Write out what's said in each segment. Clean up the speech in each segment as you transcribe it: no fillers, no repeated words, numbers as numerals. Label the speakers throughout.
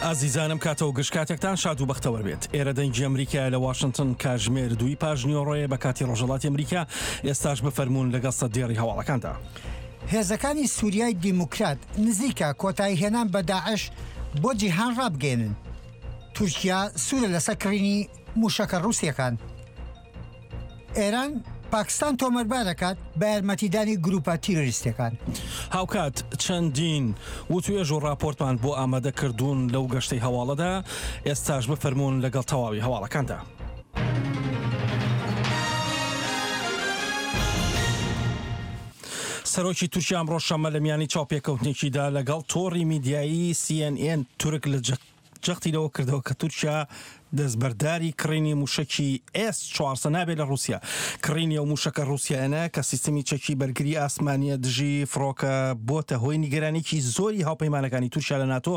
Speaker 1: ئازیزانم کاتەوە گشت کاتێکتان شاد و بەختەوەر بێت. ئێرە دەنگی ئەمریکایە لە واشنتن کاژمێر دووی پاش نیوەڕۆیە بە کاتی ڕۆژهەڵاتی ئەمریکا، ئێستاش بفەرموون لەگەڵ سەردێڕی هەواڵەکاندا.
Speaker 2: هێزەکانی سوریای دیموکرات نزیکە کۆتاییهێنان بە داعش بۆ جیهان ڕابگەیەنن. تورکیا سوورە لەسەر کڕینی مووشەکە ڕووسییەکان. ئێران پاکستان تۆمەتبار دەکات بە یارمەتیدانی گرووپە تیرۆریستییەکان.
Speaker 1: هاوکات چەندین وتوێژ و ڕاپۆرتمان بۆ ئامادە کردوون لەو گەشتەی هەواڵەدا، ئێستاش بفەرموون لەگەڵ تەواوی هەواڵەکاندا. سەرۆکی تورکیا ئەمڕۆ شەممە لە میانی چاوپێکەوتنێکیدا لەگەڵ تۆڕی میدیایی سی ئێن ئێن تورک لە جەختی لەوە کردەوە کە تورکیا دەستبەرداری کڕینی مووشەکی ئێس 400 نابێت لە ڕووسیا. کڕینی ئەو مووشەکە ڕووسیایانە کە سیستمی چەکی بەرگری ئاسمانییە دژی فڕۆکە بۆتە هۆی نیگەرانیی زۆری هاوپەیمانەکانی تورکیا لە ناتۆ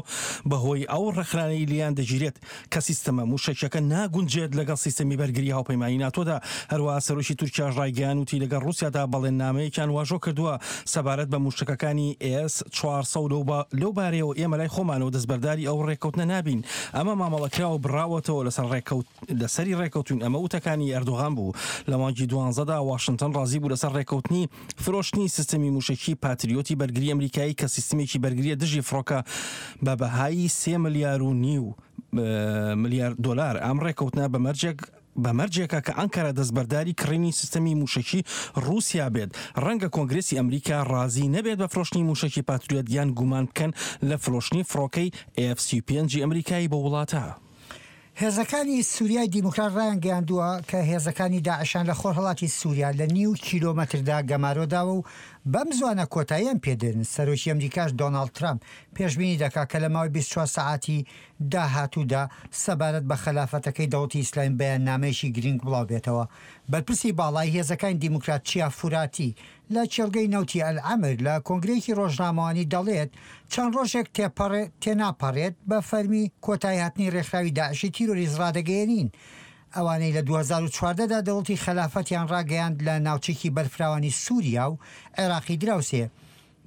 Speaker 1: بەهۆی ئەو ڕەخنانەی لێیان دەگیرێت کە سیستەمە مووشەکیەکە ناگونجێت لەگەڵ سیستەمی بەرگری هاوپەیمانی ناتۆدا. هەروەها سەرۆکی تورکیاش ڕایگەیاند وتی لەگەڵ ڕووسیادا بەڵێننامەیەکیان واژۆ کردووە سەبارەت بە مووشەکەکانی ئێس 400 و لەو بارەیەوە ئێمە لای خۆمانەوە دەستبەرداری ئەو ڕێککەوتنە نابین. ئەمە مامەڵەکراوە بڕاوەتەوە لەسەر ڕێککەوت لەسەری ڕێککەوتوین ئەمە وتەکانی ئەردۆغان بوو. لە مانگی دوانزەدا واشنتن ڕازی بوو لەسەر ڕێککەوتنی فرۆشتنی سیستەمی مووشەکی پاتریۆتی بەرگری ئەمریکایی کە سیستمێکی بەرگریە دژی فڕۆکە بە بەهای سێ ملیار و نیو ملیار دۆلار. ئەم ڕێککەوتنە بە مەرجێک بە مەرجێکە کە ئەنکەرە دەستبەرداری کڕینی سیستەمی مووشەکی ڕووسیا بێت. ڕەنگە کۆنگرێسی ئەمریکا ڕازی نەبێت بە فرۆشتنی مووشەکی پاتریۆت یان گومان بکەن لە فرۆشتنی فڕۆکەی ئێف 35 ی ئەمریکایی بەو وڵاتە.
Speaker 2: هێزەکانی سوریای دیموکرات ڕایانگەیاندووە کە هێزەکانی داعشیان لە خۆرهەڵاتی سوریا لە نیو کیلۆمەتردا گەمارۆ داوە و بەم زوانە کۆتاییان پێدێنن، سەرۆکی ئەمریکاش دۆناڵد ترەمپ پێشبینی دەکات کە لە ماوەی 24 سەعاتی داهاتوودا سەبارەت بە خەلافەتەکەی دەوڵەتی ئیسلامی بەیاننامەیەکی گرینگ بڵاوبێتەوە. بەرپرسی باڵای هێزەکانی دیموکرات چیا فوراتی لە کێڵگەی نەوتی ئەلعەمر لە کۆنگرەیەکی ڕۆژنامەوانی دەڵێت، چەند ڕۆژێک تێناپەڕێت بە فەرمی کۆتاییهاتنی ڕێکخراوی داعشی تیرۆریست ڕادەگەیەنین. ئەوانەی لە 2014 دا دەوڵەتی خەلافەتیان ڕاگەیاند لە ناوچەیەکی بەرفراوانی سوریا و عێراقی دراوسێ.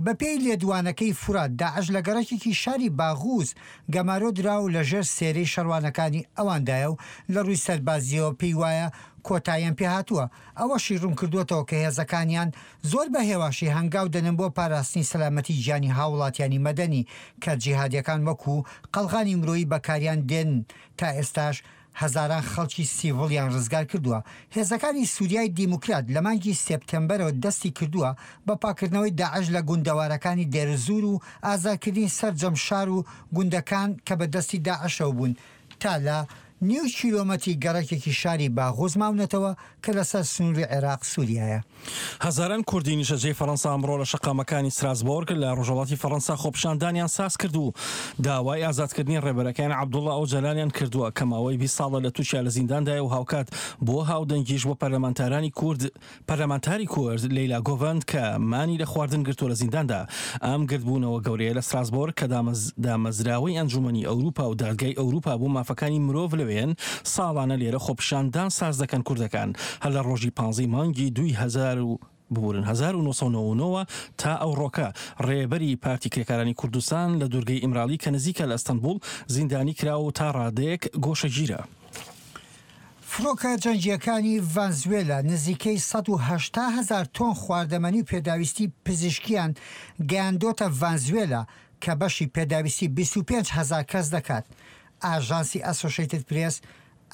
Speaker 2: بەپێی لێدوانەکەی فورات، داعش لە گەڕەکێکی شاری باغوز گەمارۆ درا و لەژێر سێرەی شەڕوانەکانی ئەواندایە و لە ڕووی سەربازییەوە پێی وایە کۆتاییان پێهاتووە. ئەوەشی ڕوونکردووەتەوە کە هێزەکانیان زۆر بە هێواشی هەنگاو دەنێن بۆ پاراستنی سەلامەتی گیانی هاووڵاتیانی مەدەنی کە جیهادیەکان وەکو قەڵغانی مرۆیی بەکاریان دێنن تا ئێستاش هەزاران خەڵکی سیڤڵیان ڕزگار کردووە. هێزەکانی سوریای دیموکرات لە مانگی سێپتێمبەرەوە دەستی کردووە بە پاککردنەوەی داعش لە گوندەوارەکانی دێرزور و ئازادکردنی سەرجەم شار و گوندەکان کە بە دەستی داعشەوە بوون تا لە نیو کیلۆمەتری گەڕەکێکی شاری باغوز ماونەتەوە کە لەسەر سنووری عێراق سووریایە.
Speaker 1: هەزاران کوردی نیشتەجێی فەرەنسا ئەمڕۆ لە شەقامەکانی ستراسبۆرگ لە ڕۆژهەڵاتی فەرەنسا خۆپیشاندانیان سازکرد و داوای ئازادکردنی ڕێبەرەکەیان عەبدوڵا ئۆجەلانیان کردووە کە ماوەی 20 ساڵە لە تورکیا لە زینداندایە و هاوکات بۆ هاودەنگیش بۆ پەرلەمانتارانی کورد پەرلەمانتاری کورد لەیلا گۆڤەند کە مانی لە خواردن گرتووە لە زینداندا. ئەم گردبوونەوە گەورەیە لە ستراسبۆرگ کە دامەزراوەی ئەنجوومەنی ئەوروپا و دادگای ئەوروپا بۆ مافەکانی مرۆڤ لەوێن، ساڵانە لێرە خۆپیشاندان ساز دەکەن کوردەکان هەر لە ڕۆژی پانزەی مانگی دووی هەزار و ببورن 1999 وە تا ئەوڕۆکە ڕێبەری پارتی کرێکارانی کوردستان لە دوورگەی ئیمرالی کە نزیکە لە ئەستەنبوڵ زیندانی کراوە و تا ڕادەیەک گۆشەگیرە.
Speaker 2: فڕۆکە جەنگییەکانی ڤەنزوێلا نزیکەی 180 هەزار تۆن خواردەمەنی و پێداویستی پزیشکییان گەیاندۆتە ڤەنزوێلا کە بەشی پێداویستی 25 هەزار کەس دەکات. ئاژانسی ئەسۆشەیتد پرێس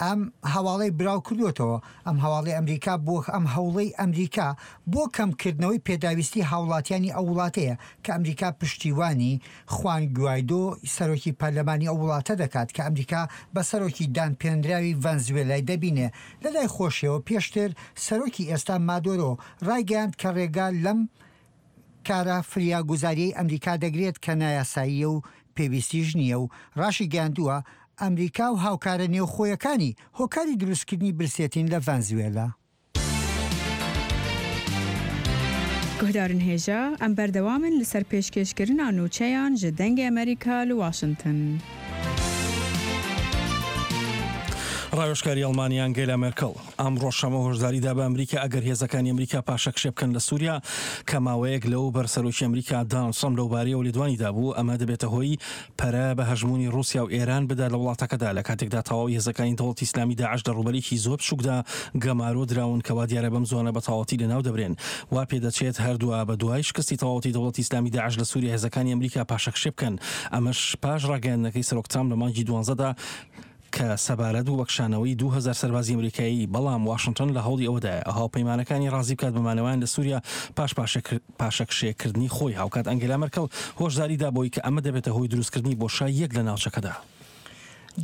Speaker 2: ئەم هەواڵەی براو کردووەتەوە، ئەم هەواڵەی ئەمریکا بۆ ئەم هەوڵەی ئەمریکا بۆ کەمکردنەوەی پێداویستی هاوڵاتیانی ئەو وڵاتەیە کە ئەمریکا پشتیوانی خوان گوایدۆ سەرۆکی پەرلەمانی ئەو وڵاتە دەکات کە ئەمریکا بە سەرۆکی دانپێنراوی ڤەنزوێلای دەبینێ. لەلای خۆشیەوە پێشتر سەرۆکی ئێستا مادۆرۆ ڕایگەیاند کە ڕێگا لەم کارە فریاگوزاریەی ئەمریکا دەگرێت کە نایاساییە و پێویستیش نییە و ڕاشیگەیاندووە ئەمریکا و هاوکارە نێوخۆیەکانی هۆکاری دروستکردنی برسێتین لە ڤەنزوێلا.
Speaker 3: Guhdarên hêja, em berdewam in li ser pêşkêşkirina nûçeyan ji Dengê Amerîka li Washington.
Speaker 1: ڕاوێژکاری ئەڵمانیا ئەنگێلا مێرکڵ ئەمڕۆ شەمە هۆشداری دا بە ئەمریکا ئەگەر هێزەکانی ئەمریکا پاشەکشێ بکەن لە سووریا کە ماوەیەک لەو بەر سەرۆکی ئەمریکا دانڵد ترەمپ لەوبارەیەوە لێدوانی دابوو ئەمە دەبێتە هۆی پەرە بە هەژموونی ڕووسیا و ئێران بدات لە وڵاتەکەدا لە کاتێکدا تەواوی هێزەکانی دەوڵەتی ئیسلامی داعش لە ڕووبەرێکی زۆر بچووکدا گەمارۆ دراون کە وا دیارە بەم زووانە بە تەواوەتی لەناو دەبرێن. وا پێدەچێت هەر دوا بە دوای شکستی تەواوەتی دەوڵەتی ئیسلامی داعش لە سووریا هێزەکانی ئەمریکا پاشەکشێ بکەن ئەمەش پاش ڕاگەیاندنەکەی سەرۆک ترامپ لە مانگی دوانزەدا کە سەبارەت بوو بە کشانەوەی 2000 سەربازی ئەمریکایی، بەڵام واشنتۆن لە هەوڵی ئەوەدایە هاوپەیمانەکانی ڕازی بکات بە مانەوەیان لە سووریا پاش پاشەکشێکردنی خۆی، هاوکات ئەنگێلا مێرکڵ هۆشداری دا بەوەی کە ئەمە دەبێتە هۆی دروستکردنی بۆشاییەک لە ناوچەکەدا.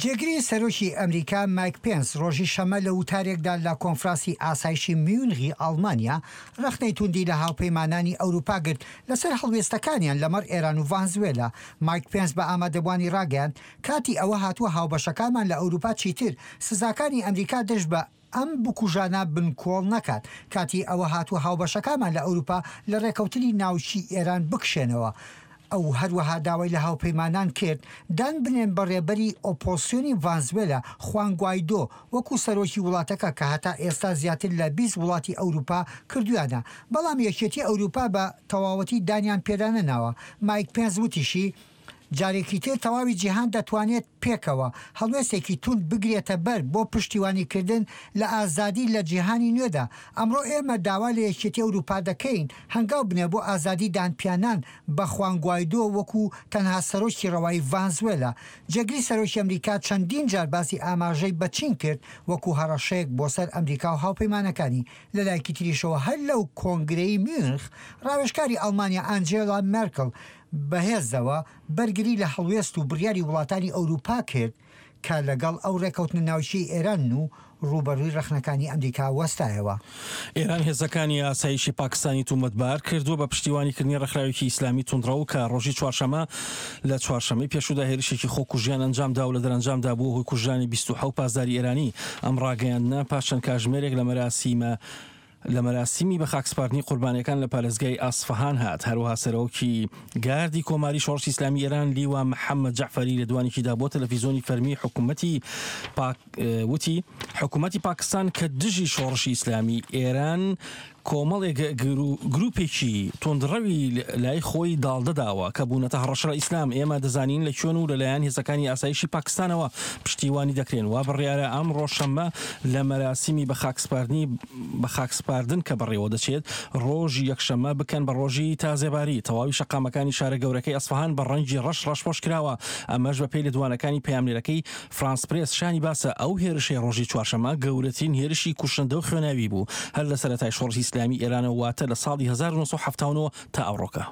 Speaker 2: جێگری سەرۆکی ئەمریکا مایک پێنس ڕۆژی شەممە لە وتارێکدا لە کۆنفرانسی ئاسایشی میونخی ئەڵمانیا ڕەخنەی توندی لە هاوپەیمانانی ئەوروپا گرت لەسەر هەڵوێستەکانیان لەمەڕ ئێران و ڤانزوێلا. مایک پێنس بە ئامادەبووانی ڕاگەیاند کاتی ئەوە هاتووە هاوبەشەکانمان لە ئەوروپا چیتر سزاکانی ئەمریکا دژ بە ئەم بکوژانە بنکۆڵ نەکات. کاتی ئەوە هاتووە هاوبەشەکانمان لە ئەوروپا لە ڕێکەوتنی ناوکی ئێران بکشێنەوە. ئەو هەروەها داوای لە هاوپەیمانان کرد دان بنێن بە ڕێبەری ئۆپۆزسیۆنی ڤانزوێلا خوان گوایدۆ وەکو سەرۆکی وڵاتەکە کە هەتا ئێستا زیاتر لە 20 وڵاتی ئەوروپا کردویانە بەڵام یەکێتی ئەوروپا بە تەواوەتی دانیان پێدا نەناوە. مایک پێنس وتیشی، جارێکی تر تەواوی جیهان دەتوانێت پێکەوە هەڵوێستێکی توند بگرێتە بەر بۆ پشتیوانیکردن لە ئازادی لە جیهانی نوێدا. ئەمڕۆ ئێمە داوا لە یەکێتی ئەوروپا دەکەین هەنگاو بنێ بۆ ئازادی دانپیانان بە خوان گوایدۆ وەکو تەنها سەرۆکی ڕەوای ڤانزوێلا. جێگری سەرۆکی ئەمریکا چەندین جار باسی ئاماژەی بە چین کرد وەکو هەڕەشەیەک بۆ سەر ئەمریکا و هاوپەیمانەکانی. لە لایەکی تریشەوە هەر لەو کۆنگرەی میونخ ڕاوێژکاری ئەڵمانیا ئانجێلا مێرکڵ بەهێزەوە بەرگری لە هەڵوێست و بڕیاری وڵاتانی ئەوروپا کرد کە لەگەڵ ئەو ڕێکەوتنە ناوکیەی ئێرانن و ڕووبەڕووی ڕەخنەکانی ئەمریکا وەستایەوە.
Speaker 1: ئێران هێزەکانی ئاسایشی پاکستانی تومەتبار کردووە بە پشتیوانیکردنی ڕێکخراوێکی ئیسلامی توندڕەو کە ڕۆژی چوارشەمە لە چوارشەمەی پێشوودا هێرشێکی خۆکوژیان ئەنجامدا و لە دەرەنجامدا بووە هۆی کوژرانی 27 پاسداری ئێرانی. ئەم ڕاگەیاندنە پاش چەند کاژمێرێک لە مەراسیمە لە مەراسیمی بەخاکسپاردنی قوربانیەکان لە پارێزگای ئەسفەهان هات. هەروەها سەرۆکی گاردی کۆماری شۆڕشی ئیسلامی ئێران لیوا محەممەد جەعفەری لێدوانێکیدا بۆ تەلەفیزیۆنی فەرمی حکوومەتی پاک وتی حکوومەتی پاکستان کە دژی شۆڕشی ئیسلامی ئێران کۆمەڵێک گروپێکی توندڕەوی لای خۆی داڵدەداوە کە بوونەتە هەڕەشە لە ئیسلام ئێمە دەزانین لە کوێن و لەلایەن هێزەکانی ئاسایشی پاکستانەوە پشتیوانی دەکرێن وا بڕیارە ئەمڕۆ شەممە لە مەراسیمی بەخاکسپاردنی بەخاکسپاردن کە بەڕێوەدەچێت ڕۆژی یەکشەممە بکەن بە ڕۆژی تازێباری. تەواوی شەقامەکانی شارە گەورەکەی ئەسفەهان بە ڕەنگی ڕەش ڕەشپۆش کراوە، ئەمەش بەپێی لێدوانەکانی پەیامنێرەکەی فرانس پرێس. شانی باسە ئەو هێرشەی ڕۆژی چوارشەممە گەورەترین هێرشی کوشندە و خوێناوی بوو هەر لە سەرەتای شۆڕشی ئیسلامی ئێرانەوە واتە لە ساڵی 1979 تا ئەوڕۆکە.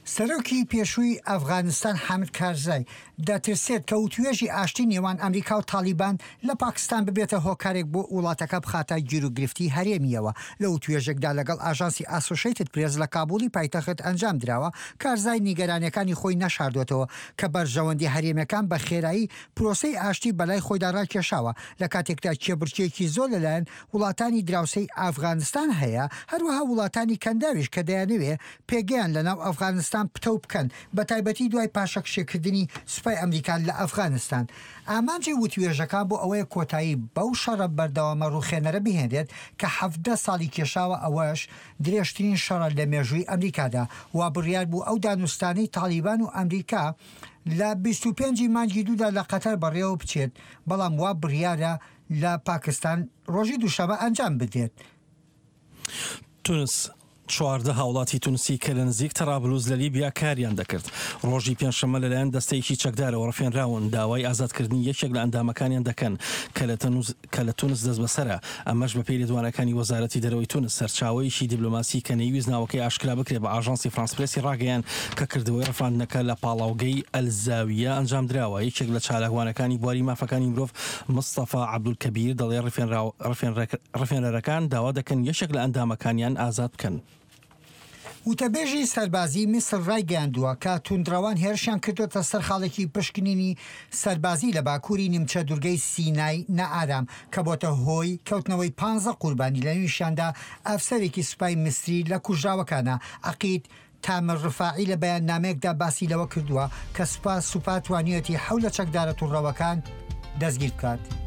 Speaker 2: سەرۆکی پێشووی ئەفغانستان حامد کارزای دەترسێت کە وتوێژی ئاشتی نێوان ئەمریکا و تاڵیبان لە پاکستان ببێتە هۆکارێک بۆ وڵاتەکە بخاتە گیروگرفتی هەرێمییەوە. لە وتوێژێکدا لەگەڵ ئاژانسی ئاسۆشەیتد پرێس لە کابوڵی پایتەخت ئەنجام دراوە، کارزای نیگەرانیەکانی خۆی نەشاردۆتەوە کە بەرژەوەندی هەرێمیەکان بە خێرایی پرۆسەی ئاشتی بەلای خۆیدا ڕاکێشاوە لە کاتێکدا کێبڕکێیەکی زۆر لەلایەن وڵاتانی دراوسێی ئەفغانستان هەیە، هەروەها وڵاتانی کەنداویش کە دەیانەوێ پێگەیان لەناو ئەفغانستان پتەو بکەن، بەتایبەتی دوای پاشەکشێکردنی سوپای ئەمریکا لە ئەفغانستان. ئامانجی وتوێژەکان بۆ ئەوەیە کۆتایی بەو شەڕە بەردەوامە ڕووخێنەرە بهێنرێت کە 17 ساڵی کێشاوە، ئەوەش درێژترین شەڕە لە مێژووی ئەمریکادا. وابڕیار بوو ئەو دانوستانەی تاڵیبان و ئەمریکا لە 25 ی مانگی دوودا لە قەتەر بەڕێوە بچێت، بەڵام وا بڕیارە لە پاکستان ڕۆژی دووشەمە ئەنجام بدرێت.
Speaker 1: تونس 14 هاوڵاتی تونسی کە لە نزیک تەرابلوس لە لیبیا کاریان دەکرد، ڕۆژی پێنجشەممە لەلایەن دەستەیەکی چەکدارەوە ڕفێنراون، داوای ئازادکردنی یەکێک لە ئەندامەکانیان دەکەن کە لە کە لە تونس دەستبەسەرە، ئەمەش بەپێی لێدوانەکانی وەزارەتی دەرەوەی تونس. سەرچاوەیەکی دیبلۆماسی کە نەیویست ناوەکەی ئاشکرا بکرێت بە ئاژانسی فرانس پرێسی ڕاگەیاند کە کردەوەی ڕفاندنەکە لە پاڵاوگەی ئەلزاویە ئەنجامدراوە. یەکێک لە چالاکوانەکانی بواری مافەکانی مرۆڤ مستەفا عەبدولکەبیر دەڵێ ڕفێنرەکان داوا دەکەن یەکێک لە ئەندامەکانیان ئازاد بکەن.
Speaker 2: وتەبێژی سەربازیی میسر ڕایگەیاندووە کە توندڕەوان هێرشیان کردۆتە سەر خاڵێکی پشکنینی سەربازی لە باکووری نیمچە دوورگەی سینای نائارام کە بۆتە هۆی کەوتنەوەی پانزە قوربانی لەنێویشیاندا ئەفسەرێکی سوپای میسری لە کوژراوەکانە. عەقید تامر ڕفاعی لە بەیاننامەیەکدا باسی لەوە کردووە کە سوپا سوپا توانیویەتی حەو لە چەکدارە توندڕەوەکان دەستگیر بکات.